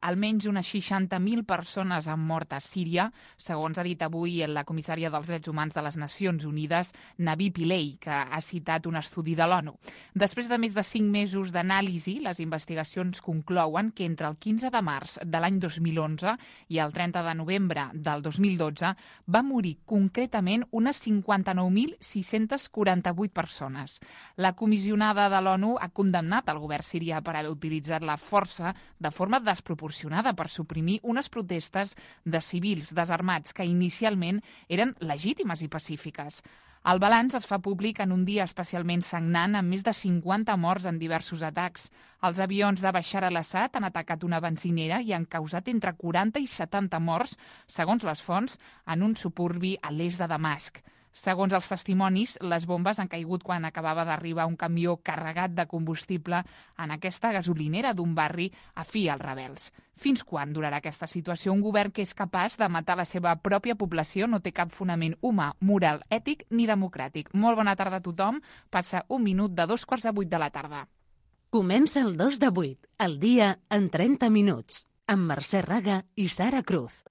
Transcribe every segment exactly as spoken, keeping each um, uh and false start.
Almenys unes seixanta mil persones han mort a Síria, segons ha dit avui la comissària dels Drets Humans de les Nacions Unides, Navi Pillay, que ha citat un estudi de l'ONU. Després de més de cinc mesos d'anàlisi, les investigacions conclouen que entre el quinze de març de l'any dos mil onze i el trenta de novembre del dos mil dotze va morir concretament unes cinquanta-nou mil sis-cents quaranta-vuit persones. La comissionada de l'ONU ha condemnat el govern sirià per haver utilitzat la força de forma desproporcionada per suprimir unes protestes de civils desarmats que inicialment eren legítimes i pacífiques. El balanç es fa públic en un dia especialment sagnant amb més de cinquanta morts en diversos atacs. Els avions de Bashar al-Assad han atacat una benzinera i han causat entre quaranta i setanta morts, segons les fonts, en un suburbi a l'est de Damasc. Segons els testimonis, les bombes han caigut quan acabava d'arribar un camió carregat de combustible en aquesta gasolinera d'un barri afí als rebels. Fins quan durarà aquesta situació? Un govern que és capaç de matar la seva pròpia població no té cap fonament humà, moral, ètic ni democràtic. Molt bona tarda a tothom. Passa un minut de dos quarts de vuit de la tarda. Comença el dos de vuit, el dia en trenta minuts, amb Mercè Raga i Sara Cruz.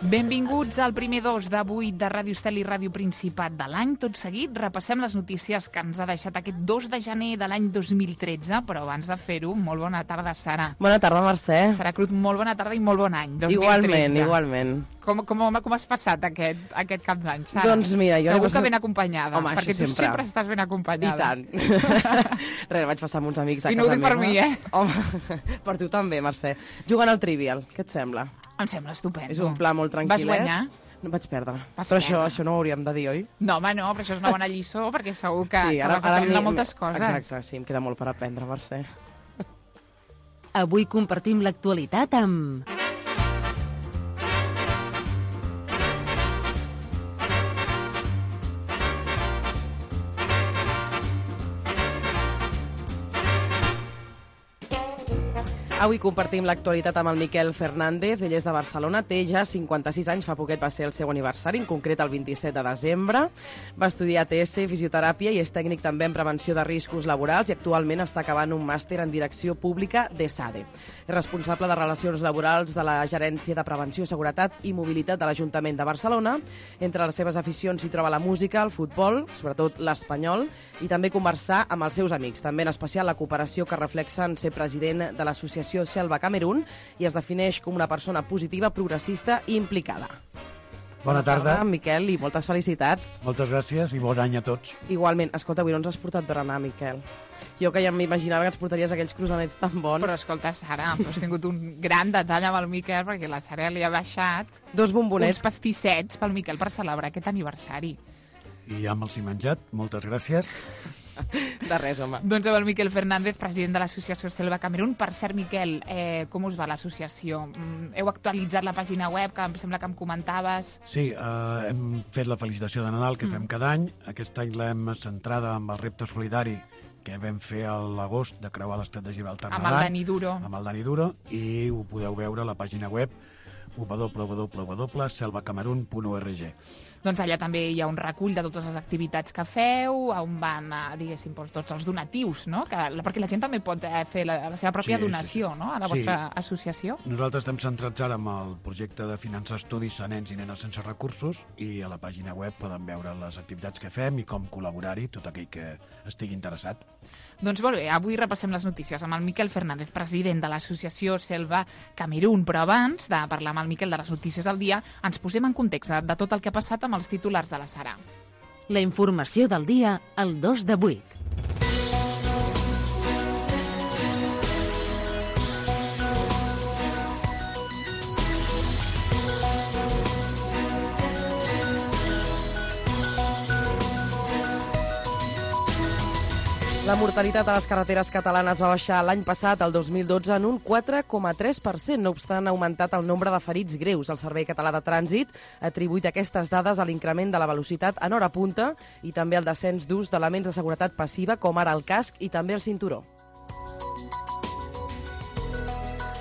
Benvinguts al primer dos de vuit de Ràdio Estel i Ràdio Principat de l'any. Tot seguit repassem les notícies que ens ha deixat aquest dos de gener de l'any dos mil tretze, però abans de fer-ho, molt bona tarda, Sara. Bona tarda, Mercè. Sara Cruz, molt bona tarda i molt bon any, dos mil tretze. Igualment, igualment. Com, com, com has passat aquest, aquest cap d'any, Sara? Doncs mira, jo... Segur que ben acompanyada, Home, perquè tu sempre. sempre estàs ben acompanyada. I tant. Res, vaig passar amb uns amics a I casa no ho dic meva. per mi, eh? Home, per tu també, Mercè. Jugant al Trivial, què et sembla? Em sembla estupendo. És un pla molt tranquil·let. Vas guanyar? No, vaig perdre. Vas però perdre. Això, això no ho hauríem de dir, oi? No, home, no, però això és una bona lliçó, perquè segur que, sí, ara, que vas aprendre moltes coses. Exacte, sí, em queda molt per aprendre, Mercè. Avui compartim l'actualitat amb... Avui compartim l'actualitat amb el Miquel Fernández. Ell és de Barcelona, té ja cinquanta-sis anys, fa poquet va ser el seu aniversari, en concret el vint-i-set de desembre. Va estudiar A T S, fisioteràpia i és tècnic també en prevenció de riscos laborals i actualment està acabant un màster en direcció pública de SADE. És responsable de relacions laborals de la Gerència de Prevenció, Seguretat i Mobilitat de l'Ajuntament de Barcelona. Entre les seves aficions s'hi troba la música, el futbol, sobretot l'espanyol, i també conversar amb els seus amics, també en especial la cooperació que reflexa en ser president de l'associació Selva Camerún i es defineix com una persona positiva, progressista i implicada. Bona tarda. Miquel, i moltes felicitats. Moltes gràcies i bon any a tots. Igualment. Escolta, avui no ens has portat berenar, Miquel. Jo que ja m'imaginava que ens portaries aquells croissanets tan bons. Però escolta, Sara, tu has tingut un gran detall amb el Miquel perquè la Sara li ha baixat dos bombonets. Uns pastissets pel Miquel per celebrar aquest aniversari. I ja me'ls he menjat. Moltes gràcies. De res, home. Doncs amb el Miquel Fernández, president de l'associació Selva Camerún. Per cert, Miquel, eh, com us va l'associació? Heu actualitzat la pàgina web, que em sembla que em comentaves? Sí, eh, hem fet la felicitació de Nadal que mm. fem cada any. Aquest any l'hem centrada amb el repte solidari que vam fer a l'agost de creuar l'estat de Gibraltar. Amb el Dani Duro. Amb el Dani Duro, i ho podeu veure a la pàgina web w w w punt selva camerun punt org. Doncs allà també hi ha un recull de totes les activitats que feu, on van, diguéssim, tots els donatius, no? Que, perquè la gent també pot fer la, la seva pròpia sí, donació, sí, sí. no? A la sí. vostra associació. Nosaltres estem centrats ara amb el projecte de finançar estudis a nens i nenes sense recursos, i a la pàgina web poden veure les activitats que fem i com col·laborar-hi, tot aquell que estigui interessat. Doncs molt bé, avui repassem les notícies amb el Miquel Fernández, president de l'associació Selva Camerún, però abans de parlar amb el Miquel de les notícies del dia, ens posem en context de tot el que ha passat amb els titulars de la Sara. La informació del dia al dos de vuit. La mortalitat a les carreteres catalanes va baixar l'any passat, el dos mil dotze, en un quatre coma tres per cent. No obstant, ha augmentat el nombre de ferits greus. El Servei Català de Trànsit ha atribuït aquestes dades a l'increment de la velocitat en hora punta i també al descens d'ús d'elements de seguretat passiva, com ara el casc i també el cinturó.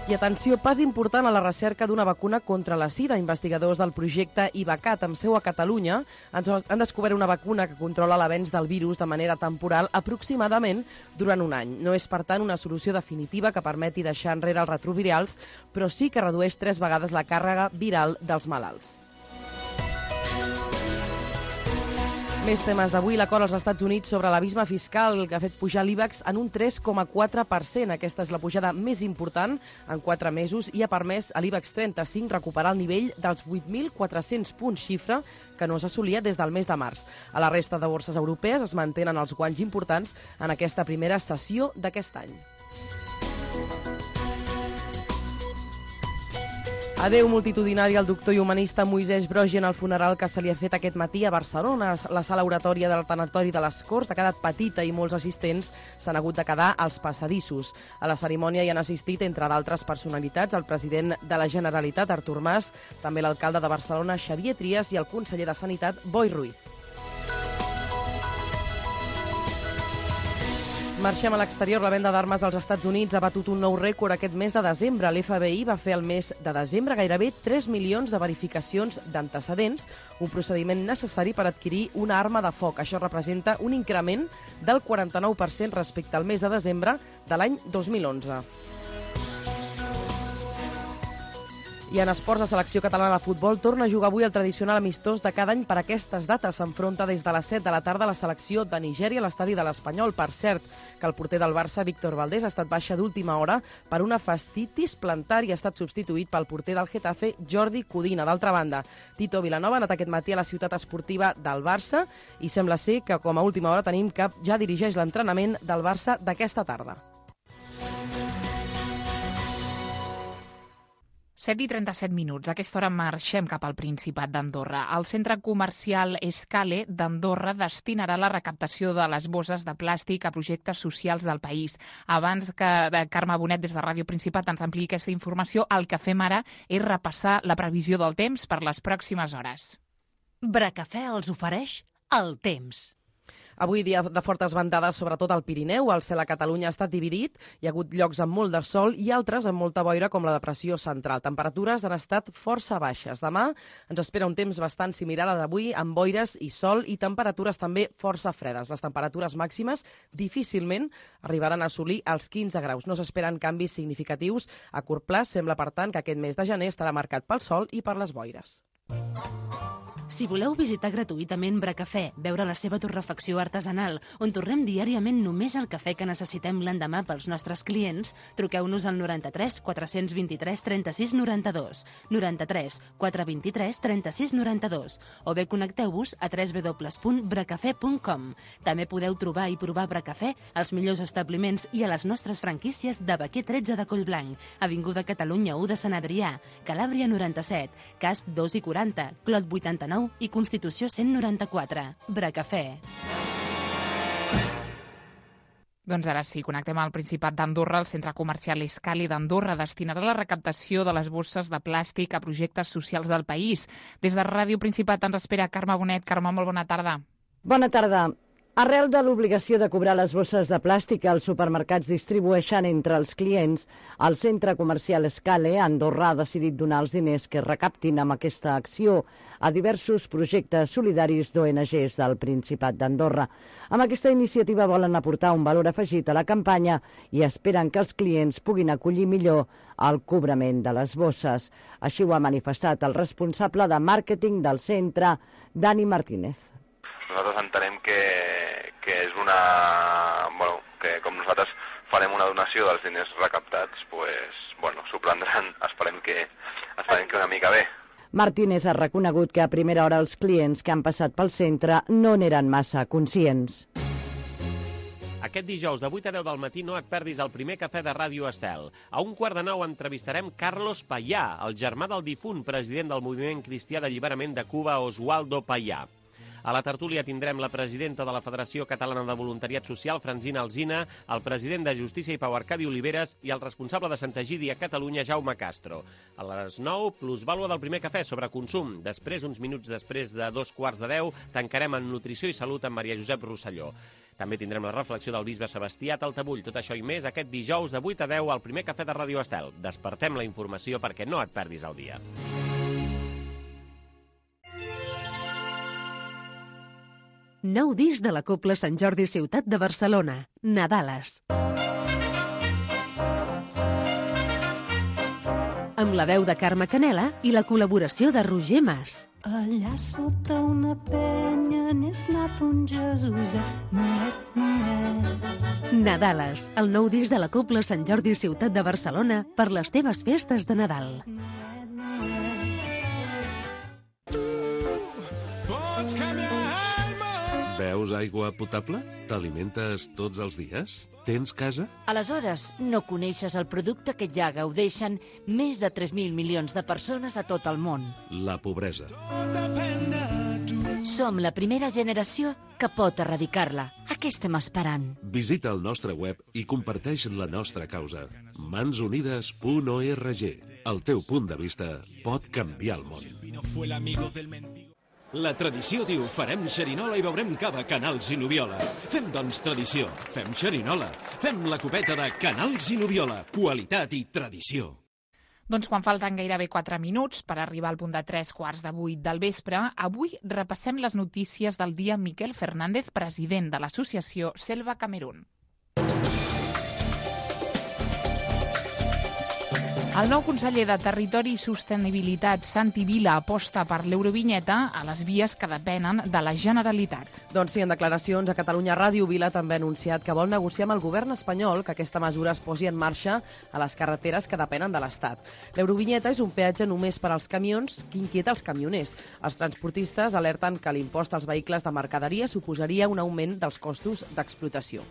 I atenció, pas important a la recerca d'una vacuna contra la sida. Investigadors del projecte IVACAT, amb seu a Catalunya, han descobert una vacuna que controla l'avenç del virus de manera temporal aproximadament durant un any. No és, per tant, una solució definitiva que permeti deixar enrere els retrovirals, però sí que redueix tres vegades la càrrega viral dels malalts. Més temes d'avui. L'acord als Estats Units sobre l'abisme fiscal que ha fet pujar l'IBEX en un tres coma quatre per cent. Aquesta és la pujada més important en quatre mesos i ha permès a l'IBEX trenta-cinc recuperar el nivell dels vuit mil quatre-cents punts, xifra que no s'assolia des del mes de març. A la resta de borses europees es mantenen els guanys importants en aquesta primera sessió d'aquest any. Adeu multitudinari al doctor i humanista Moisès Broggi en el funeral que se li ha fet aquest matí a Barcelona. La sala oratòria del tanatori de les Corts ha quedat petita i molts assistents s'han hagut de quedar als passadissos. A la cerimònia hi han assistit, entre d'altres personalitats, el president de la Generalitat, Artur Mas, també l'alcalde de Barcelona, Xavier Trias, i el conseller de Sanitat, Boi Ruiz. Marxem a l'exterior. La venda d'armes als Estats Units ha batut un nou rècord aquest mes de desembre. L'F B I va fer el mes de desembre gairebé tres milions de verificacions d'antecedents, un procediment necessari per adquirir una arma de foc. Això representa un increment del quaranta-nou per cent respecte al mes de desembre de l'any dos mil onze. I en esports, la selecció catalana de futbol torna a jugar avui el tradicional amistós de cada any per aquestes dates. S'enfronta des de les set de la tarda a la selecció de Nigèria a l'estadi de l'Espanyol. Per cert, que el porter del Barça, Víctor Valdés, ha estat baixa d'última hora per una fascitis plantar i ha estat substituït pel porter del Getafe, Jordi Codina. D'altra banda, Tito Vilanova ha anat aquest matí a la ciutat esportiva del Barça i sembla ser que com a última hora tenim que ja dirigeix l'entrenament del Barça d'aquesta tarda. set i trenta-set minuts. A aquesta hora marxem cap al Principat d'Andorra. El centre comercial Escale d'Andorra destinarà la recaptació de les bosses de plàstic a projectes socials del país. Abans que Carme Bonet des de Ràdio Principat ens ampliï aquesta informació, el que fem ara és repassar la previsió del temps per les pròximes hores. Bracafè els ofereix el temps. Avui dia de fortes ventades, sobretot al Pirineu. El cel a Catalunya ha estat dividit. Hi ha hagut llocs amb molt de sol i altres amb molta boira, com la depressió central. Temperatures han estat força baixes. Demà ens espera un temps bastant similar a d'avui, amb boires i sol i temperatures també força fredes. Les temperatures màximes difícilment arribaran a assolir els quinze graus. No s'esperen canvis significatius a curt plaç. Sembla, per tant, que aquest mes de gener estarà marcat pel sol i per les boires. Si voleu visitar gratuïtament Bracafè, veure la seva torrefacció artesanal, on tornem diàriament només el cafè que necessitem l'endemà pels nostres clients, truqueu-nos al noranta-tres quatre-cents vint-i-tres trenta-sis noranta-dos, noranta-tres quatre vint-i-tres trenta-sis noranta-dos, o bé connecteu-vos a w w w punt bracafè punt com. També podeu trobar i provar Bracafè als millors establiments i a les nostres franquícies de Baquer tretze de Collblanc, Avinguda Catalunya u de Sant Adrià, Calàbria noranta-set, Casp dos i quaranta, Clot vuitanta-nou i Constitució cent noranta-quatre. Bracafè. Doncs ara sí, connectem al Principat d'Andorra. El centre comercial Escali d'Andorra destinarà la recaptació de les bosses de plàstic a projectes socials del país. Des de Ràdio Principat ens espera Carme Bonet. Carme, molt bona tarda. Bona tarda. Arrel de l'obligació de cobrar les bosses de plàstic que els supermercats distribueixen entre els clients, el centre comercial Escale a Andorra ha decidit donar els diners que recaptin amb aquesta acció a diversos projectes solidaris d'O N Ges del Principat d'Andorra. Amb aquesta iniciativa volen aportar un valor afegit a la campanya i esperen que els clients puguin acollir millor el cobrament de les bosses. Així ho ha manifestat el responsable de màrqueting del centre, Dani Martínez. Nosaltres entenem que, que és una... Bueno, que com nosaltres farem una donació dels diners recaptats, pues, bueno, s'ho prendran, esperem que, esperem que una mica bé. Martínez ha reconegut que a primera hora els clients que han passat pel centre no n'eren massa conscients. Aquest dijous de vuit a deu del matí no et perdis el primer cafè de Ràdio Estel. A un quart de nou entrevistarem Carlos Payá, el germà del difunt president del moviment cristià d'alliberament de Cuba, Oswaldo Payá. A la tertúlia tindrem la presidenta de la Federació Catalana de Voluntariat Social, Francina Alsina, el president de Justícia i Pau Arcadi Oliveres i el responsable de Santa Egidi a Catalunya, Jaume Castro. A les nou, plusvàlua del primer cafè sobre consum. Després, uns minuts després de dos quarts de deu, tancarem en Nutrició i Salut amb Maria Josep Rosselló. També tindrem la reflexió del bisbe Sebastià Taltabull. Tot això i més aquest dijous de vuit a deu al primer cafè de Ràdio Estel. Despertem la informació perquè no et perdis el dia. Nou disc de la Cobla Sant Jordi Ciutat de Barcelona, Nadales. Amb la veu de Carme Canela i la col·laboració de Roger Mas. Allà sota una penya n'és nat un Jesuset, noet, noet. Nadales, el nou disc de la Cobla Sant Jordi Ciutat de Barcelona per les teves festes de Nadal. Beus aigua potable? T'alimentes tots els dies? Tens casa? Aleshores, no coneixes el producte que ja gaudeixen més de tres mil milions de persones a tot el món. La pobresa. Som la primera generació que pot erradicar-la. A què estem esperant? Visita el nostre web i comparteix la nostra causa. mans unides punt org. El teu punt de vista pot canviar el món. La tradició diu farem xerinola i beurem cava Canals i Nubiola. Fem, doncs, tradició. Fem xerinola. Fem la copeta de Canals i Nubiola. Qualitat i tradició. Doncs quan falten gairebé quatre minuts per arribar al punt de tres quarts de vuit del vespre, avui repassem les notícies del dia Miquel Fernández, president de l'associació Selva Camerún. El nou conseller de Territori i Sostenibilitat, Santi Vila, aposta per l'eurovinyeta a les vies que depenen de la Generalitat. Doncs sí, en declaracions a Catalunya Ràdio, Vila també ha anunciat que vol negociar amb el govern espanyol que aquesta mesura es posi en marxa a les carreteres que depenen de l'Estat. L'eurovinyeta és un peatge només per als camions que inquieta els camioners. Els transportistes alerten que l'impost als vehicles de mercaderia suposaria un augment dels costos d'explotació.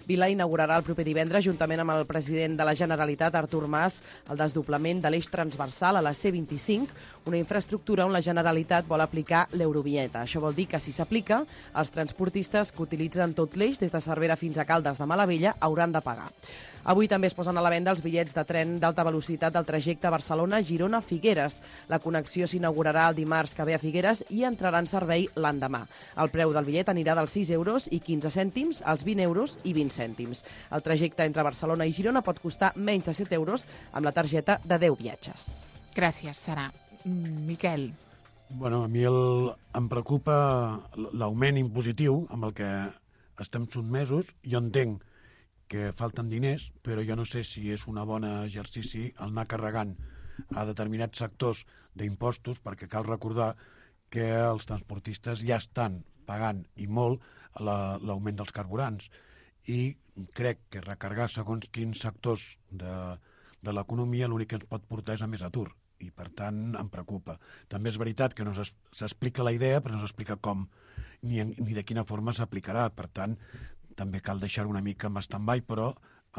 Vila inaugurarà el proper divendres, juntament amb el president de la Generalitat, Artur Mas, el desdoblament de l'eix transversal a la C vint-i-cinc, una infraestructura on la Generalitat vol aplicar l'eurovinyeta. Això vol dir que, si s'aplica, els transportistes que utilitzen tot l'eix, des de Cervera fins a Caldes de Malavella, hauran de pagar. Avui també es posen a la venda els bitllets de tren d'alta velocitat del trajecte Barcelona-Girona-Figueres. La connexió s'inaugurarà el dimarts que ve a Figueres i entrarà en servei l'endemà. El preu del bitllet anirà dels sis euros i quinze cèntims als vint euros i vint cèntims. El trajecte entre Barcelona i Girona pot costar menys de set euros amb la targeta de deu viatges. Gràcies, Sara. Miquel. Bueno, a mi el, em preocupa l'augment impositiu amb el que estem sotmesos. Jo entenc que falten diners, però jo no sé si és un bon exercici el anar carregant a determinats sectors d'impostos, perquè cal recordar que els transportistes ja estan pagant i molt l'augment dels carburants, i crec que recargar segons quins sectors de, de l'economia l'únic que ens pot portar és a més atur, i per tant em preocupa. També és veritat que no s'explica la idea, però no s'explica com ni, ni de quina forma s'aplicarà. Per tant, també cal deixar-ho una mica en stand-by, però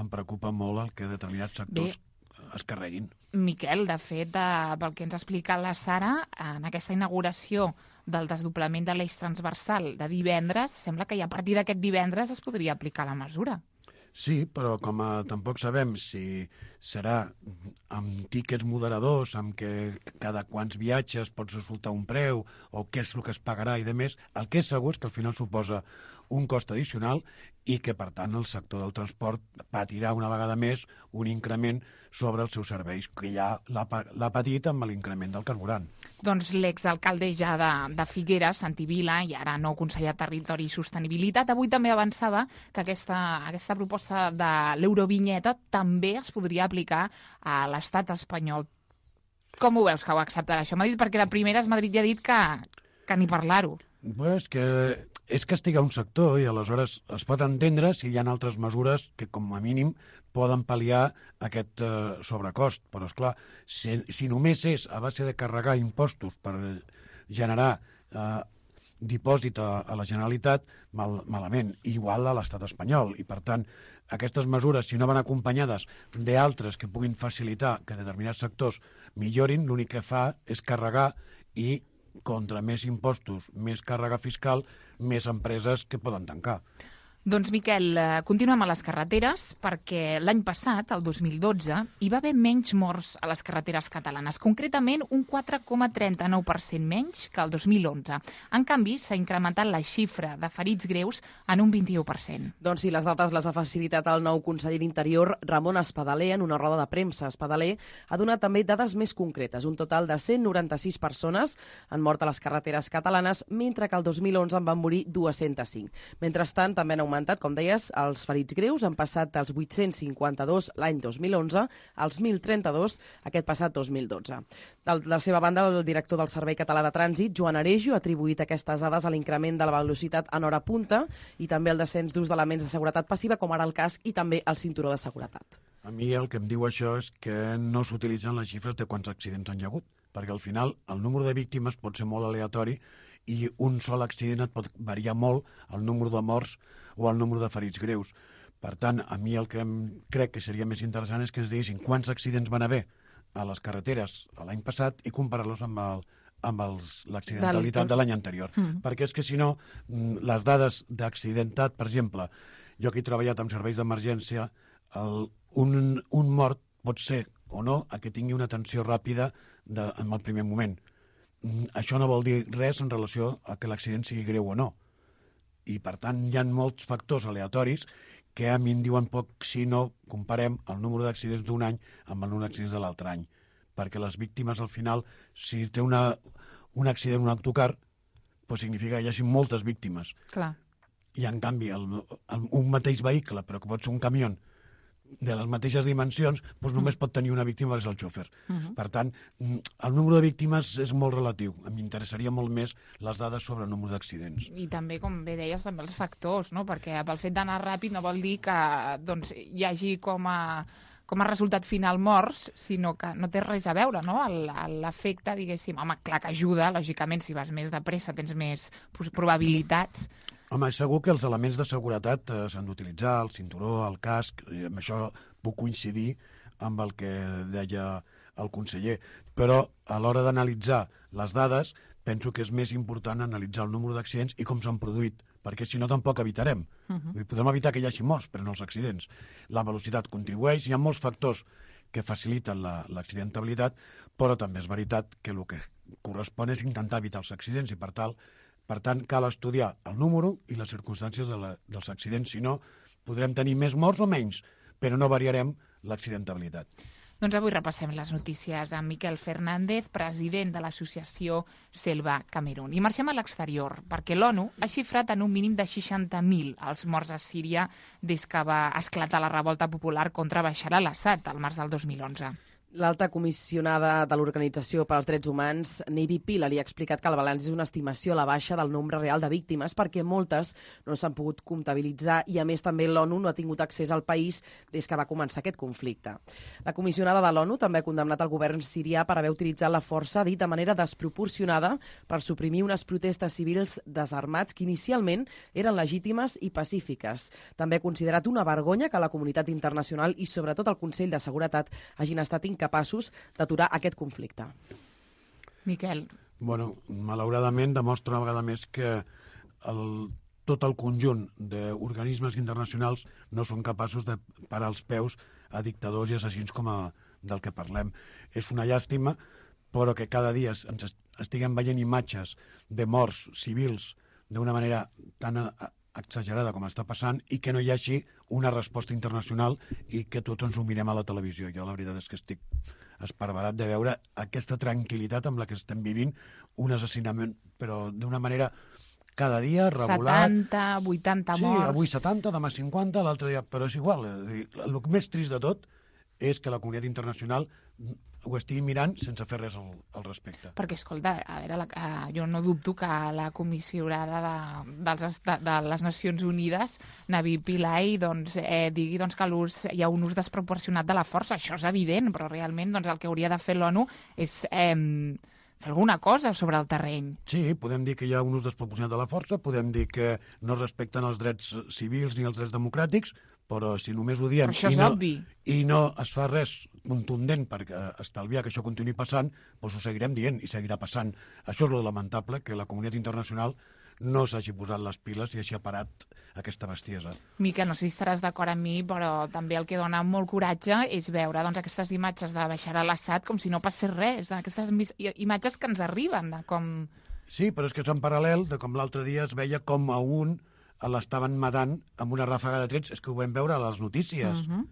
em preocupa molt el que determinats sectors Bé, es carreguin. Miquel, de fet, de, pel que ens ha explicat la Sara, en aquesta inauguració del desdoblament de l'eix transversal de divendres, sembla que ja a partir d'aquest divendres es podria aplicar la mesura. Sí, però com a, tampoc sabem si serà amb tíquets moderadors, amb què cada quants viatges pots resultar un preu, o què és el que es pagarà i de més, el que és segur és que al final suposa un cost addicional i que, per tant, el sector del transport patirà una vegada més un increment sobre els seus serveis, que ja l'ha patit amb l'increment del carburant. Doncs l'exalcalde ja de, de Figueres, Santi Vila, i ara nou conseller de Territori i Sostenibilitat, avui també avançava que aquesta, aquesta proposta de l'eurovinyeta també es podria aplicar a l'estat espanyol. Com ho veus que ho acceptarà això? M'ha dit perquè de primeres Madrid ja ha dit que, que ni parlar-ho. Bé, és que és castigar un sector i aleshores es pot entendre si hi ha altres mesures que com a mínim poden pal·liar aquest eh, sobrecost. Però, esclar, si, si només és a base de carregar impostos per generar eh, dipòsit a, a la Generalitat, mal, malament, igual a l'estat espanyol. I, per tant, aquestes mesures, si no van acompanyades d'altres que puguin facilitar que determinats sectors millorin, l'únic que fa és carregar i contra més impostos, més càrrega fiscal, més empreses que poden tancar. Doncs, Miquel, continuem a les carreteres perquè l'any passat, el dos mil dotze, hi va haver menys morts a les carreteres catalanes, concretament un quatre coma trenta-nou per cent menys que el dos mil onze. En canvi, s'ha incrementat la xifra de ferits greus en un vint-i-u per cent. Doncs sí, les dades les ha facilitat el nou conseller d'Interior, Ramon Espadaler, en una roda de premsa. Espadaler ha donat també dades més concretes. Un total de cent noranta-sis persones han mort a les carreteres catalanes, mentre que el dos mil onze en van morir dues-centes cinc. Mentrestant, també han augmentat, com deies, els ferits greus. Han passat dels vuit-cents cinquanta-dos l'any dos mil onze als mil trenta-dos aquest passat dos mil dotze. De la seva banda, el director del Servei Català de Trànsit, Joan Arejo, ha atribuït aquestes dades a l'increment de la velocitat en hora punta i també al descens d'ús d'elements de seguretat passiva, com ara el casc i també el cinturó de seguretat. A mi el que em diu això és que no s'utilitzen les xifres de quants accidents han hi hagut, perquè al final el número de víctimes pot ser molt aleatori i un sol accident et pot variar molt el número de morts o el número de ferits greus. Per tant, a mi el que em crec que seria més interessant és que ens diguessin quants accidents van haver a les carreteres l'any passat i comparar-los amb el amb l'accidentalitat de l'any anterior. Mm. Perquè és que, si no, les dades d'accidentat, per exemple, jo que he treballat amb serveis d'emergència, un, un mort pot ser o no a que tingui una atenció ràpida de, en el primer moment. Això no vol dir res en relació a que l'accident sigui greu o no. I, per tant, hi ha molts factors aleatoris que a mi em diuen poc si no comparem el número d'accidents d'un any amb el número d'accidents de l'altre any. Perquè les víctimes, al final, si té una, un accident, un autocar, doncs significa que hi hagi moltes víctimes. Clar. I, en canvi, el, el, un mateix vehicle, però que pot ser un camió de les mateixes dimensions, doncs només pot tenir una víctima, que és el xòfer. Uh-huh. Per tant, el número de víctimes és molt relatiu. M'interessaria molt més les dades sobre el número d'accidents. I també, com bé deies, també els factors, no? Perquè pel fet d'anar ràpid no vol dir que doncs, hi hagi com a, com a resultat final morts, sinó que no té res a veure, no? L'efecte, diguéssim, home, clar que ajuda, lògicament, si vas més de pressa tens més probabilitats. Home, segur que els elements de seguretat eh, s'han d'utilitzar, el cinturó, el casc, i amb això puc coincidir amb el que deia el conseller. Però a l'hora d'analitzar les dades, penso que és més important analitzar el número d'accidents i com s'han produït, perquè si no tampoc evitarem. Uh-huh. Podem evitar que hi hagi morts, però no els accidents. La velocitat contribueix, hi ha molts factors que faciliten l'accidentabilitat, però també és veritat que el que correspon és intentar evitar els accidents i, per tal, Per tant, cal estudiar el número i les circumstàncies de la, dels accidents. Si no, podrem tenir més morts o menys, però no variarem l'accidentabilitat. Doncs avui repassem les notícies amb Miquel Fernández, president de l'associació Selva Camerún. I marxem a l'exterior, perquè l'ONU ha xifrat en un mínim de seixanta mil els morts a Síria des que va esclatar la revolta popular contra Bashar al-Assad al març del dos mil onze. L'alta comissionada de l'Organització per als Drets Humans, Navi Pillay, ha explicat que el balanç és una estimació a la baixa del nombre real de víctimes perquè moltes no s'han pogut comptabilitzar i, a més, també l'ONU no ha tingut accés al país des que va començar aquest conflicte. La comissionada de l'ONU també ha condemnat el govern sirià per haver utilitzat la força, dit de manera desproporcionada, per suprimir unes protestes civils desarmats que inicialment eren legítimes i pacífiques. També ha considerat una vergonya que la comunitat internacional i, sobretot, el Consell de Seguretat hagin estat incapaços d'aturar aquest conflicte. Miquel. Bueno, malauradament demostra una vegada més que el, tot el conjunt d'organismes internacionals no són capaços de parar els peus a dictadors i assassins com a, del que parlem. És una llàstima, però que cada dia ens estiguem veient imatges de morts civils d'una manera tan exagerada com està passant i que no hi hagi una resposta internacional i que tots ens ho mirem a la televisió. Jo la veritat és que estic esparverat de veure aquesta tranquil·litat amb la que estem vivint un assassinament, però d'una manera cada dia regular. setanta, vuitanta sí, morts. Sí, avui setanta, demà cinquanta, l'altre dia, però és igual. El més trist de tot és que la comunitat internacional ho estigui mirant sense fer res al, al respecte. Perquè, escolta, a veure, la, uh, jo no dubto que la comissionada de, dels, de, de les Nacions Unides, Navi Pillay, doncs, eh, digui doncs, que l'ús, hi ha un ús desproporcionat de la força. Això és evident, però realment doncs, el que hauria de fer l'ONU és eh, fer alguna cosa sobre el terreny. Sí, podem dir que hi ha un ús desproporcionat de la força, podem dir que no respecten els drets civils ni els drets democràtics, però si només ho diem i no, obvi. i no es fa res contundent per estalviar que això continuï passant, doncs ho seguirem dient i seguirà passant. Això és lo lamentable, que la comunitat internacional no s'hagi posat les piles i hagi parat aquesta bestiesa. Miquel, no sé si estaràs d'acord amb mi, però també el que dona molt coratge és veure doncs, aquestes imatges de Bashar al-Assad com si no passés res, aquestes imatges que ens arriben. Com... Sí, però és que és en paral·lel de com l'altre dia es veia com a un l'estaven matant amb una ràfaga de trets, és que ho vam veure a les notícies. Uh-huh.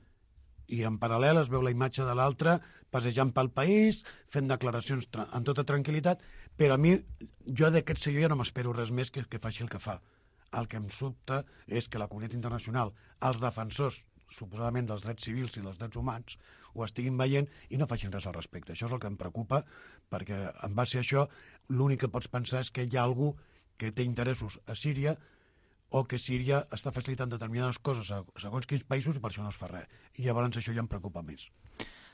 I en paral·lel es veu la imatge de l'altre passejant pel país, fent declaracions amb tota tranquil·litat, però a mi, jo d'aquest senyor ja no m'espero res més que, que faci el que fa. El que em sobta és que la comunitat internacional, els defensors, suposadament dels drets civils i dels drets humans, ho estiguin veient i no facin res al respecte. Això és el que em preocupa, perquè en base a això l'únic que pots pensar és que hi ha algú que té interessos a Síria o que Síria està facilitant determinades coses a segons quins països i per això no es fa res. I llavors això ja em preocupa més.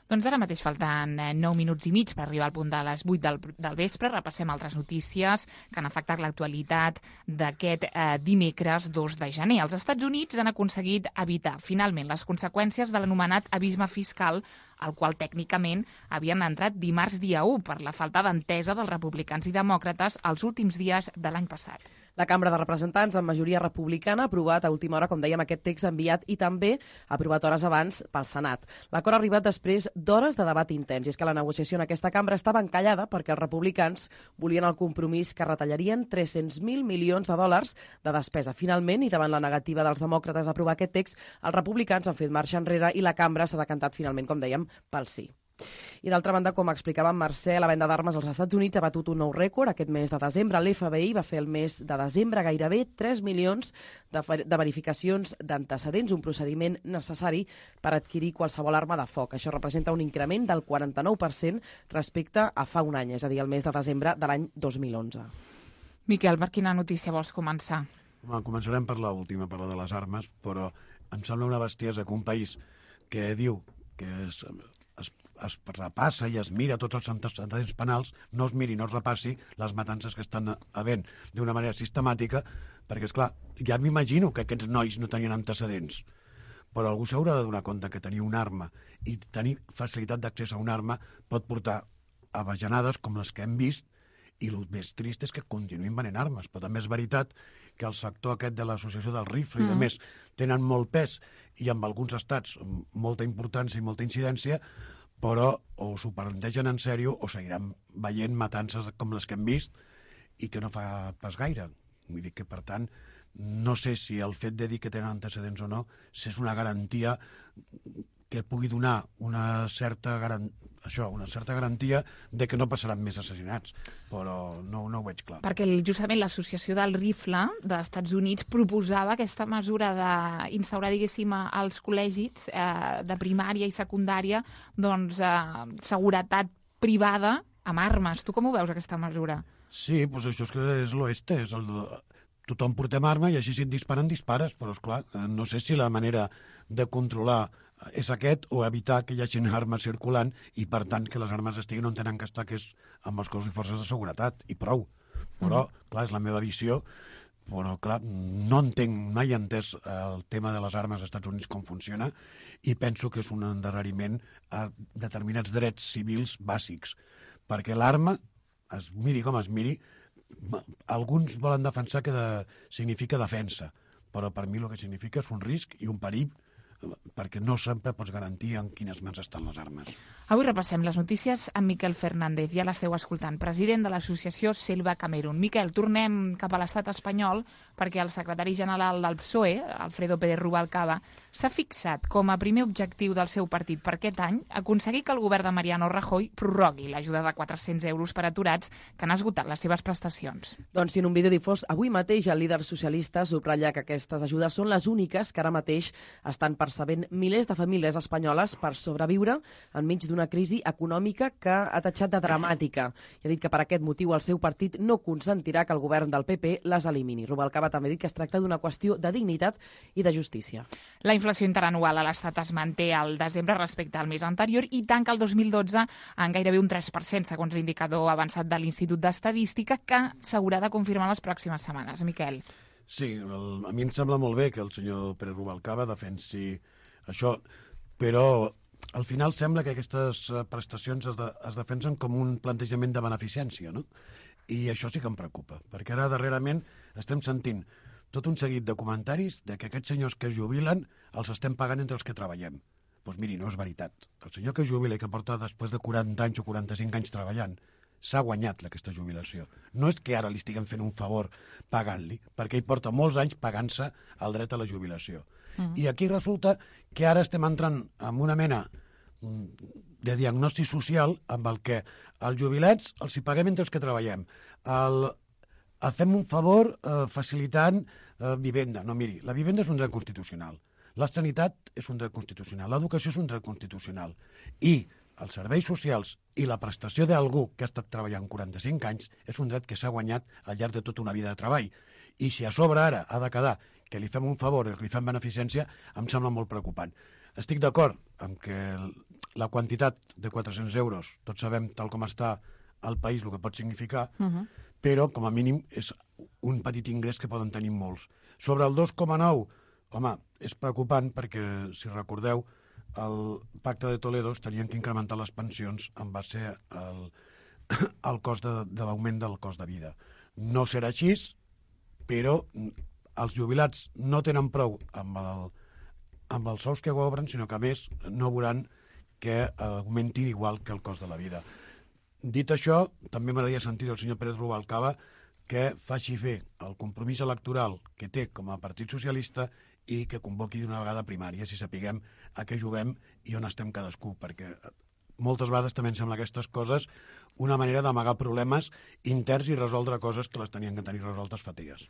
Doncs ara mateix falten nou minuts i mig per arribar al punt de les vuit del, del vespre. Repassem altres notícies que han afectat l'actualitat d'aquest eh, dimecres dos de gener. Els Estats Units han aconseguit evitar finalment les conseqüències de l'anomenat abisme fiscal, al qual tècnicament havien entrat dimarts dia u per la falta d'entesa dels republicans i demòcrates els últims dies de l'any passat. La Cambra de Representants, amb majoria republicana, ha aprovat a última hora, com dèiem, aquest text enviat i també ha aprovat hores abans pel Senat. L'acord ha arribat després d'hores de debat intens, i és que la negociació en aquesta cambra estava encallada perquè els republicans volien el compromís que retallarien tres-cents mil milions de dòlars de despesa. Finalment, i davant la negativa dels demòcrates a aprovar aquest text, els republicans han fet marxa enrere i la cambra s'ha decantat finalment, com dèiem, pel sí. I d'altra banda, com explicava en Mercè, la venda d'armes als Estats Units ha batut un nou rècord. Aquest mes de desembre l'F B I va fer el mes de desembre gairebé tres milions de, de verificacions d'antecedents, un procediment necessari per adquirir qualsevol arma de foc. Això representa un increment del quaranta-nou per cent respecte a fa un any, és a dir, el mes de desembre de l'any dos mil onze. Miquel, per quina notícia vols començar? Home, començarem per l'última, per la de les armes, però em sembla una bestiesa que un país que diu que és... Es, es repassa i es mira tots els antecedents penals, no es miri, no es repassi les matances que estan havent d'una manera sistemàtica, perquè, esclar, ja m'imagino que aquests nois no tenien antecedents, però algú s'haurà de donar compte que tenir una arma i tenir facilitat d'accés a una arma pot portar a bajanades com les que hem vist, i el més trist és que continuïn venent armes. Però també és veritat que el sector aquest de l'associació del rifle mm. i de més tenen molt pes i amb alguns estats molta importància i molta incidència, però o s'ho plantegen en sèrio o seguiran veient matances com les que hem vist i que no fa pas gaire. Vull dir que, per tant, no sé si el fet de dir que tenen antecedents o no, si és una garantia que pugui donar una certa garantia, això, una certa garantia de que no passaran més assassinats, però no, no ho veig clar. Perquè justament l'Associació del Rifle dels Estats Units proposava aquesta mesura d'instaurar, diguéssim, als col·legis eh, de primària i secundària doncs, eh, seguretat privada amb armes. Tu com ho veus, aquesta mesura? Sí, doncs això és que és l'oeste, és el... tothom portem arma i així si et disparen, dispares, però esclar, no sé si la manera de controlar és aquest o evitar que hi hagi armes circulant i, per tant, que les armes estiguin on tenen que estar, que és amb els cossos i forces de seguretat, i prou. Però, mm. clar, és la meva visió, però, clar, no entenc, mai he entès el tema de les armes als Estats Units com funciona i penso que és un endarreriment a determinats drets civils bàsics, perquè l'arma, es miri com es miri, alguns volen defensar que de, significa defensa, però per mi el que significa és un risc i un perill, perquè no sempre pots garantir en quines mans estan les armes. Avui repassem les notícies amb Miquel Fernández, ja l'esteu escoltant, president de l'associació Selva Camerún. Miquel, tornem cap a l'estat espanyol perquè el secretari general del P S O E, Alfredo Pérez Rubalcaba, s'ha fixat com a primer objectiu del seu partit per aquest any aconseguir que el govern de Mariano Rajoy prorrogui l'ajuda de quatre-cents euros per aturats que han esgotat les seves prestacions. Doncs si en un vídeo difós avui mateix el líder socialista subratlla que aquestes ajudes són les úniques que ara mateix estan percebent milers de famílies espanyoles per sobreviure enmig d'una crisi econòmica que ha tatxat de dramàtica. I ha dit que per aquest motiu el seu partit no consentirà que el govern del P P les elimini. Rubalcaba també ha dit que es tracta d'una qüestió de dignitat i de justícia. La inflació interanual a l'Estat es manté al desembre respecte al mes anterior i tanca el dos mil dotze en gairebé un tres per cent, segons l'indicador avançat de l'Institut d'Estadística, que s'haurà de confirmar les pròximes setmanes. Miquel. Sí, el, a mi em sembla molt bé que el senyor Pérez Rubalcaba defensi això, però al final sembla que aquestes prestacions es, de, es defensen com un plantejament de beneficència, no? I això sí que em preocupa, perquè ara darrerament estem sentint tot un seguit de comentaris de que aquests senyors que es jubilen els estem pagant entre els que treballem. Doncs miri, no és veritat. El senyor que es jubila i que porta després de quaranta anys o quaranta-cinc anys treballant s'ha guanyat aquesta jubilació. No és que ara li estiguem fent un favor pagant-li, perquè ell porta molts anys pagant-se el dret a la jubilació. Mm. I aquí resulta que ara estem entrant en una mena de diagnòstic social amb el que els jubilats els hi paguem entre els que treballem. El, fem un favor eh, facilitant eh, vivenda. No, miri, la vivenda és un dret constitucional. La sanitat és un dret constitucional. L'educació és un dret constitucional. I els serveis socials i la prestació d'algú que ha estat treballant quaranta-cinc anys és un dret que s'ha guanyat al llarg de tota una vida de treball. I si a sobre ara ha de quedar que li fem un favor i que li fem beneficència, em sembla molt preocupant. Estic d'acord amb que la quantitat de quatre-cents euros, tots sabem tal com està al país el que pot significar, uh-huh. però com a mínim és un petit ingrés que poden tenir molts. Sobre el dos coma nou, home, és preocupant perquè, si recordeu, el pacte de Toledo tenien que incrementar les pensions en base al, al cost de, de l'augment del cost de vida. No serà així, però els jubilats no tenen prou amb, el, amb els sous que cobren, sinó que a més no veuran que augmentin igual que el cost de la vida. Dit això, també m'agradaria sentir del senyor Pérez Rubalcaba que faci fer el compromís electoral que té com a Partit Socialista i que convoqui d'una vegada primària, si sapiguem a què juguem i on estem cadascú, perquè moltes vegades també em sembla aquestes coses una manera d'amagar problemes interns i resoldre coses que les tenien que tenir resoltes fa dies.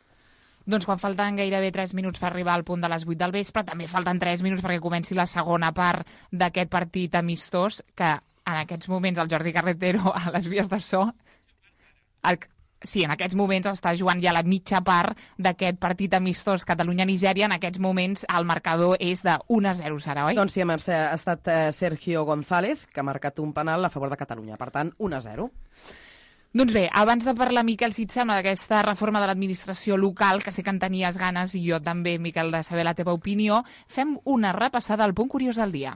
Doncs quan falten gairebé tres minuts per arribar al punt de les vuit del vespre, també falten tres minuts perquè comenci la segona part d'aquest partit amistós, que en aquests moments el Jordi Carretero a les vies de so... El... Sí, en aquests moments està jugant ja la mitja part d'aquest partit amistós Catalunya-Nigèria. En aquests moments el marcador és de un a zero, serà, oi? Doncs sí, Mercè, ha estat Sergio González, que ha marcat un penal a favor de Catalunya. Per tant, un a zero. Doncs bé, abans de parlar, Miquel, si et sembla, d'aquesta reforma de l'administració local, que sé que en tenies ganes, i jo també, Miquel, de saber la teva opinió, fem una repassada al punt curiós del dia.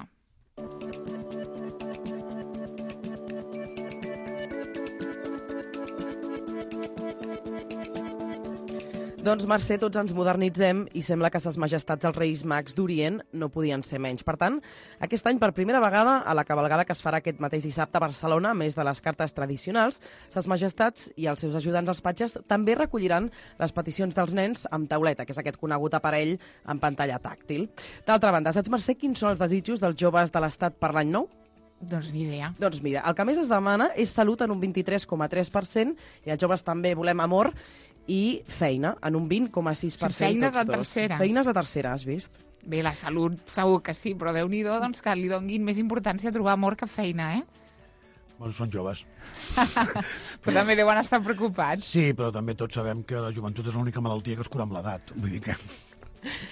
Doncs, Mercè, tots ens modernitzem i sembla que ses majestats els Reis Mags d'Orient no podien ser menys. Per tant, aquest any, per primera vegada, a la cavalgada que es farà aquest mateix dissabte a Barcelona, a més de les cartes tradicionals, ses majestats i els seus ajudants als patges també recolliran les peticions dels nens amb tauleta, que és aquest conegut aparell en pantalla tàctil. D'altra banda, saps, Mercè, quins són els desitjos dels joves de l'Estat per l'any nou? Doncs ni idea. Doncs mira, el que més es demana és salut en un vint-i-tres coma tres per cent i els joves també volem amor i feina, en un vint coma sis per cent. Feines a tercera. Feines a tercera, has vist? Bé, la salut segur que sí, però Déu-n'hi-do doncs, que li donguin més importància a trobar amor que feina, eh? Bueno, són joves. Però també deuen estar preocupats. Sí, però també tots sabem que la joventut és l'única malaltia que es cura amb l'edat. Vull dir que...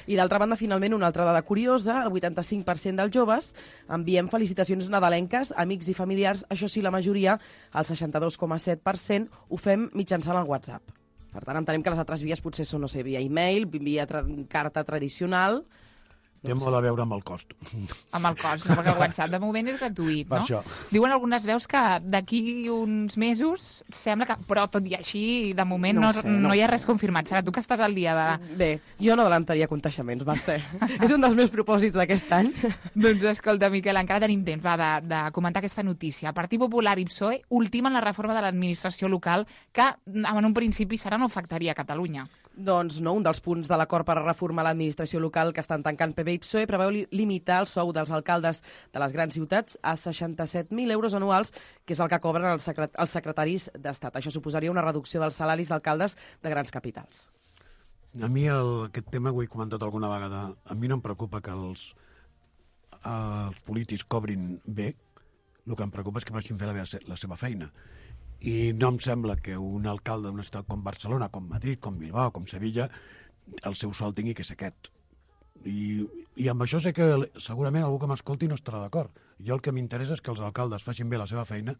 I d'altra banda, finalment, una altra dada curiosa, el vuitanta-cinc per cent dels joves enviem felicitacions nadalenques, amics i familiars, això sí, la majoria, el seixanta-dos coma set per cent, ho fem mitjançant el WhatsApp. Per tant, entenem que les altres vies potser són, no sé, via e-mail, via tra carta tradicional... Té molt a veure amb el cost. Amb el cost, no? Perquè el WhatsApp de moment és gratuït, no? Això. Diuen algunes veus que d'aquí uns mesos sembla que... Però tot i així, de moment no, no, sé, no, no hi ha res confirmat. Serà tu que estàs al dia de... Bé, jo no adelantaria contagiaments, Mercè. És un dels meus propòsits d'aquest any. Doncs escolta, Miquel, encara tenim temps va, de, de comentar aquesta notícia. Partit Popular i P S O E ultimen la reforma de l'administració local que en un principi serà no afectaria a Catalunya. Doncs no, un dels punts de l'acord per reformar l'administració local que estan tancant P B i P S O E preveu li limitar el sou dels alcaldes de les grans ciutats a seixanta-set mil euros anuals, que és el que cobren els, secret els secretaris d'Estat. Això suposaria una reducció dels salaris d'alcaldes de grans capitals. A mi el, aquest tema ho he comentat alguna vegada. A mi no em preocupa que els, els polítics cobrin bé. El que em preocupa és que facin fer la, la seva feina. I no em sembla que un alcalde d'una ciutat com Barcelona, com Madrid, com Bilbao, com Sevilla, el seu sou tingui que ser aquest. I, i amb això sé que segurament algú que m'escolti no estarà d'acord. Jo el que m'interessa és que els alcaldes facin bé la seva feina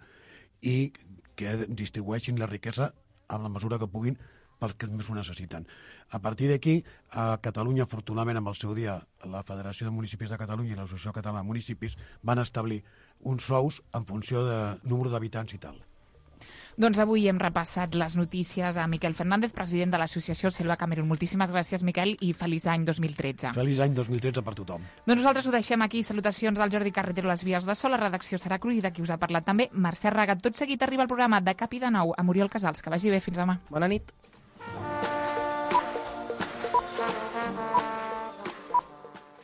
i que distribueixin la riquesa en la mesura que puguin pels que més ho necessiten. A partir d'aquí, a Catalunya, afortunadament, amb el seu dia, la Federació de Municipis de Catalunya i l'Associació Catalana de Municipis van establir uns sous en funció de número d'habitants i tal. Doncs avui hem repassat les notícies a Miquel Fernández, president de l'associació Selva Camerún. Moltíssimes gràcies, Miquel, i feliç any dos mil tretze. Feliç any dos mil tretze per tothom. Doncs nosaltres ho deixem aquí. Salutacions del Jordi Carretero a les vies de so. La redacció serà cruïda, qui us ha parlat també, Mercè Raga. Tot seguit arriba el programa de Cap i de Nou amb Oriol Casals. Que vagi bé, fins demà. Bona nit.